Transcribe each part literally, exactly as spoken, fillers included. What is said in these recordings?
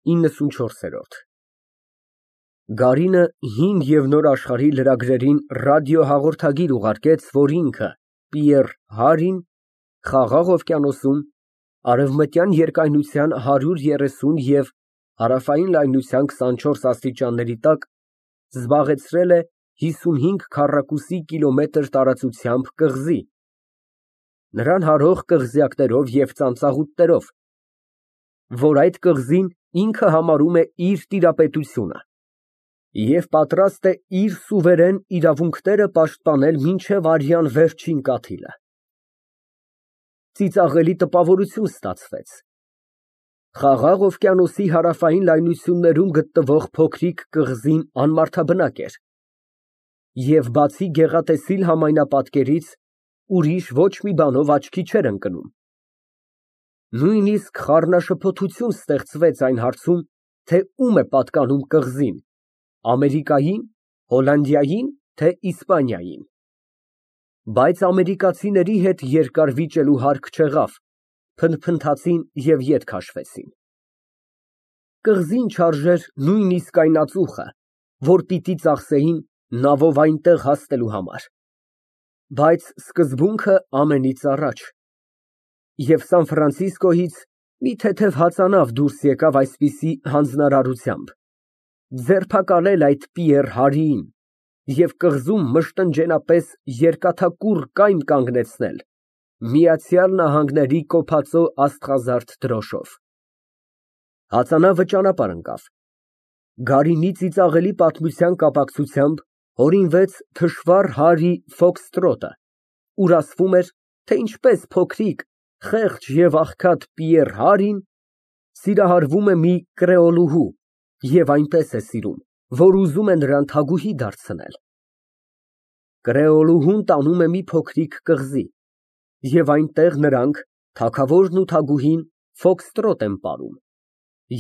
իննսունչորս Գարինը Հին և Նոր աշխարհի լրագրերին ռադիոհաղորդագիր ուղարկեց, որ ինքը՝ Պիեռ Հարրին, Խաղաղ օվկիանոսում, արևմտյան երկայնության հարյուր երեսուն և հարավային լայնության քսանչորս աստիճանների տակ զբաղեցրել է հիսունհինգ քառակուսի կիլոմետր տարածությամբ կղզի, նրան հարող կղզյակներով և ծանծաղուտներով, որ այդ կղզին ինքը համարում է իր տիրապետությունը և պատրաստ է իր սուվերեն իրավունքները պաշտպանել մինչև արյան վերջին կաթիլը։ Ծիծաղելի տպավորություն ստացվեց։ Խաղաղ օվկիանոսի հարավային լայնություններում գտնվող փոքրիկ կղզին անմարդաբնակ էր, և բացի գեղատեսիլ համայնապատկերից, ուրիշ ոչ մի բանով աչքի չէր ընկնում։ Նույնիսկ խառնաշփոթություն ստեղծվեց այն հարցում, թե ում է պատկանում կղզին՝ Ամերիկայի՞ն, Հոլանդիայի՞ն, թե Իսպանիային։ Բայց ամերիկացիների հետ երկար վիճելու հարկ չեղավ, փնթփնթացին և ետ քաշվեցին։ Կղզին չարժեր նույնիսկ այն ածուխը, որ պիտի ծախսեին նավով այնտեղ հասնելու համար, բայց սկզբունքը ամենից առաջ, և Սան Ֆրանցիսկոյից մի թեթև հացանավ դուրս եկավ այսպիսի հանձնարարությամբ՝ ձերբակալել այդ Պիեռ Հարրիին և կղզում մշտնջենապես երկաթակուռ կայմ կանգնեցնել Միացյալ Նահանգների կոփածո աստղազարդ դրոշով։ Հացանավը ճանապարհ ընկավ։ Գարինի ծիծաղելի պատմության կապակցությամբ հորինվեց թշվառ Հարրի ֆոքստրոտը, ուր ասվում էր, թե ինչպես փոքրիկ, խեղճ և աղքատ Պիեռ Հարրին սիրահարվում է մի կրեոլուհու և այնպես է սիրում, որ ուզում է նրան թագուհի դարձնել։ Կրեոլուհուն տանում է մի փոքրիկ կղզի, և այնտեղ նրանք, թագավորն ու թագուհին, ֆոքստրոտ են պարում,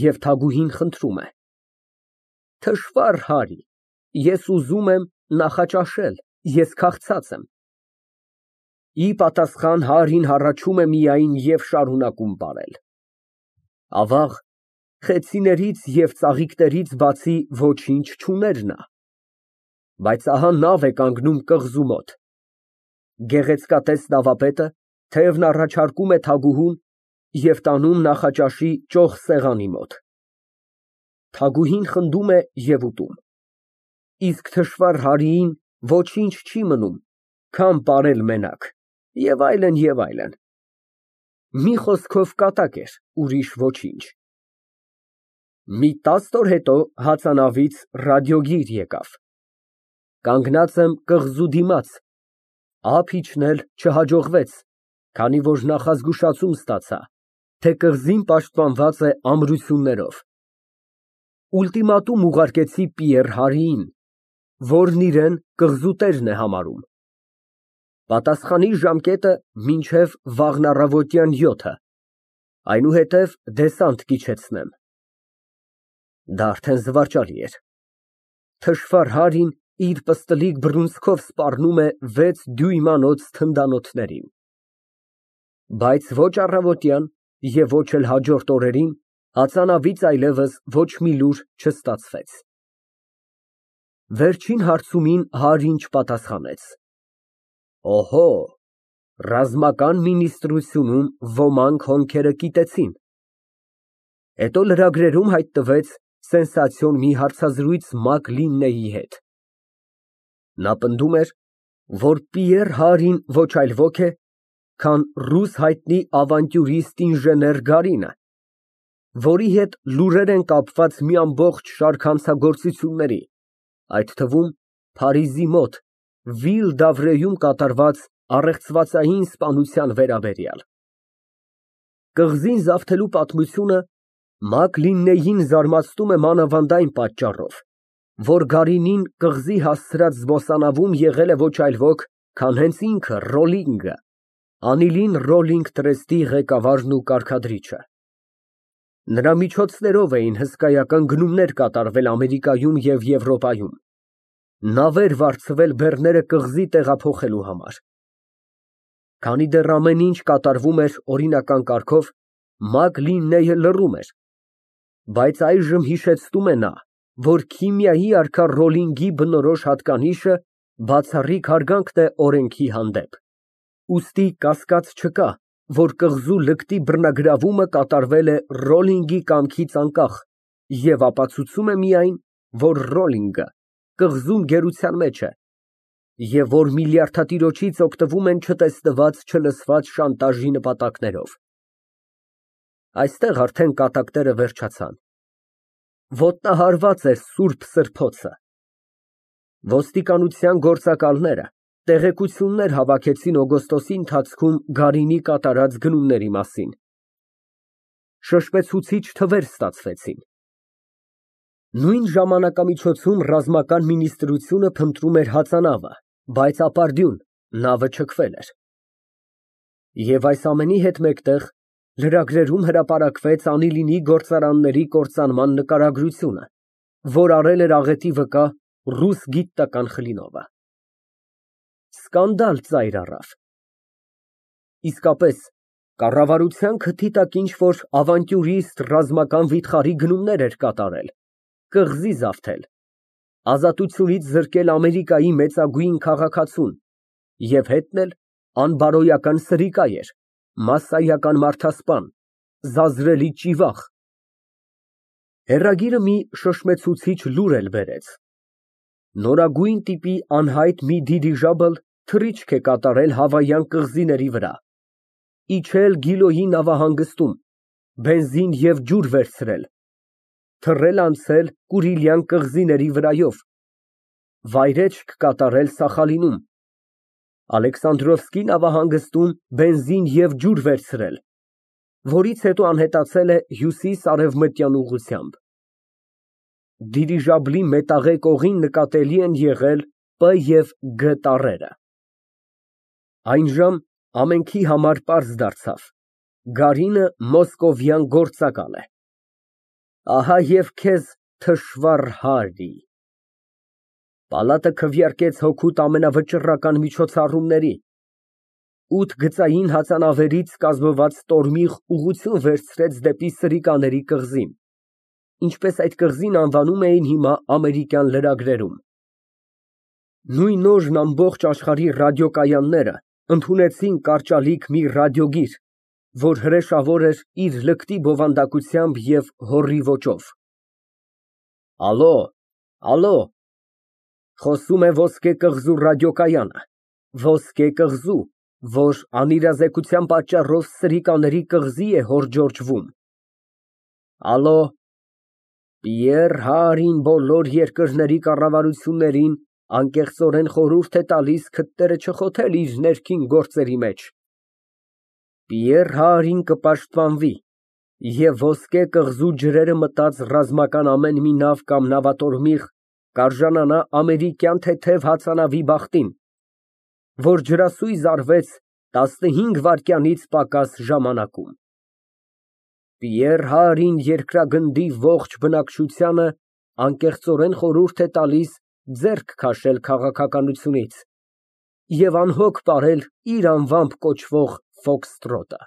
և թագուհին խնդրում է. Թշվառ Հարրի, ես ուզում եմ նախաճաշել, ես քաղցած եմ։ Ի պատասխան Հարրին հառաչում է միայն և շարունակում պարել։ Ավաղ, խեցիներից և ծաղիկներից բացի ոչինչ չուներ նա։ Բայց ահա նավ է կանգնում կղզու մոտ։ Գեղեցկատես նավապետը թեյն առաջարկում է թագուհուն և տանում նախաճաշի ճոխ սեղանի մոտ։ Թագուհին խնդում է և ուտում, իսկ թշվառ Հարրիին ոչինչ չի մնում, քան պարել մենակ, և այլն, և այլն։ Մի խոսքով կատակ էր, ուրիշ ոչինչ։ Մի տասն օր հետո հացանավից ռադիոգիր եկավ. «Կանգնած եմ կղզու դիմաց, ափ իջնել չհաջողվեց, քանի որ նախազգուշացում ստացա, թե կղզին պաշտպանված է ամրություններով։ Ուլտիմատում ուղարկեցի Պիեռ Հարրիին, որն իրեն կղզու տերն է համարում։ Պատասխանի ժամկետը մինչև վաղն առավոտյան յոթը, այնուհետև դեսանտ կիջեցնեմ»։ Դա արդեն զվարճալի էր։ Թշվառ Հարրին իր պստլիկ բռունցքով սպառնում է վեց դյույմանոց թնդանոթներին։ Բայց ոչ առավոտյան և ոչ էլ հաջորդ օրերին հացանավից այլևս ոչ մի լուր չստացվեց։ Վերջին հարցումին Հարրին չպատասխանեց։ Օհո, ռազմական մինիստրությունում ոմանք հոնքերը կիտեցին։ Հետո լրագրերում հայտնվեց սենսացիոն մի հարցազրույց Մակլիննեի հետ։ Նա պնդում էր, որ Պիեռ Հարրին ոչ այլ ոք է, քան ռուս հայտնի ավանտյուրիստ ինժեներ Գարինը, որի հետ լուրեր են կապված մի ամբողջ շարք հանցագործությունների, այդ թվում Փարիզի մոտ Վիլ֊դ'Ավրեում կատարված առեղծվածային սպանության վերաբերյալ։ Կղզին զավթելու պատմությունը Մակլիննեյին զարմացնում է մանավանդ այն պատճառով, որ Գարինին կղզի հասցրած զբոսանավում եղել է ոչ այլ ոք, քան հենց ինքը Ռոլինգը, Անիլին Ռոլինգ տրեստի ղեկավարն ու կարգադրիչը։ Նրա միջոցներով էին հսկայական գնումներ կատարվել Ամերիկայում և Եվրոպայում, նավեր վարձվել բեռները կղզի տեղափոխելու համար։ Քանի դեռ ամեն ինչ կատարվում էր օրինական կարգով, Մակլիննեյը լռում էր, Բայց այժմ հիշեցնում է նա, որ քիմիայի արքա Ռոլլինգի բնորոշ հատկանիշը բացառիկ հարգանքն է օրենքի հանդեպ, ուստի կասկած չկա, որ կղզու լկտի բռնագրավումը կատարվել է Ռոլլինգի կամքից անկախ և ապացուցում է միայն, որ Ռոլլինգը կղզում գերության մեջ է և որ միլիարդատիրոջից օգտվում են չտեսնված, չլսված շանտաժի նպատակներով։ Այստեղ արդեն կատակները վերջացան։ Ոտնահարված էր սուրբ սրբոցը։ Ոստիկանության գործակալները տեղեկություններ հավաքեցին օգոստոսի ընթացքում Գարինի կատարած գնումների մասին։ Շշմեցուցիչ թվեր ստացվեցին։ Նույն ժամանակամիջոցում ռազմական մինիստրությունը փնտրում էր հածանավը, բայց ապարդյուն, նավը չքվել էր։ Եվ այս ամենի հետ մեկտեղ լրագրերում հրապարակվեց Անիլինի գործարանների կործանման նկարագրությունը, որ արել էր աղետի վկա ռուս գիտական խլինովը։ Սկանդալ ծայր առավ։ Իսկապես, կառավարության քթի տակ ինչ֊որ ավանտյուրիստ ռազմական վիթխարի գնումներ էր կատարել, կղզի զավթել, ազատությունից զրկել Ամերիկայի մեծագույն քաղաքացուն և հետն էլ անբարոյական սրիկա էր, մասսայական մարդասպան, զազրելի ճիվախ։ Հեռագիրը մի շշմեցուցիչ լուր էլ բերեց։ Նորագույն տիպի անհայտ մի դիրիժաբլ թռիչք է կատարել Հավայան կղզիների վրա, իջել Գիլոյի նավահանգստում, բենզին և ջուր վերցրել, թռել անցել Կուրիլյան կղզիների վրայով, վայրէջք կատարել Սախալինում, Ալեքսանդրովսկի նավահանգստում բենզին և ջուր վերցրել, որից հետո անհետացել է հյուսիս֊արևմտյան ուղղությամբ։ Դիրիժաբլի մետաղե կողին նկատելի են եղել Պ և Գ տառերը։ Այնժամ ամենքի համար պարզ դարձավ. Գարինը մոսկովյան գործակալ է։ Ահա և քեզ թշվառ Հարի։ Պալատը քվեարկեց հօգուտ ամենավճռական միջոցառումների, ութ գծային հածանավերից կազմված տորմիղ ուղղություն վերցրեց դեպի Սրիկաների կղզին, ինչպես այդ կղզին անվանում էին հիմա ամերիկյան լրագրերում։ Նույն օրն ամբողջ աշխարհի ռադիոկայանները ընդունեցին կարճալիք մի ռադիոգիր, որ հրեշավոր էր իր լկտի բովանդակությամբ և հոռի ոճով։ Ալո, ալո, խոսում է Ոսկե կղզու ռադիոկայանը, Ոսկե կղզու, որ անիրազեկության պատճառով Սրիկաների կղզի է հորջորջվում։ Ալո, Պիեռ Հարին բոլոր երկրների կառավարություններին անկեղծորեն խորհուրդ է տալիս քթները չխոթել իր ներքին գործերի մեջ։ Պիեռ Հարին կպաշտպանվի և Ոսկե կղզու ջրերը մտած ռազմական ամեն մի նավ կամ նավատորմիղ կարժանանա ամերիկյան թեթև հածանավի բախտին, որ ջրասույզ արվեց տասնհինգ վայրկյանից պակաս ժամանակում։ Պիեռ Հարին երկրագնդի ողջ բնակչությանը անկեղծորեն խորհուրդ է տալիս ձեռք քաշել քաղաքականությունից և անհոգ պարել իր անվամբ կոչվող ֆոքստրոտը։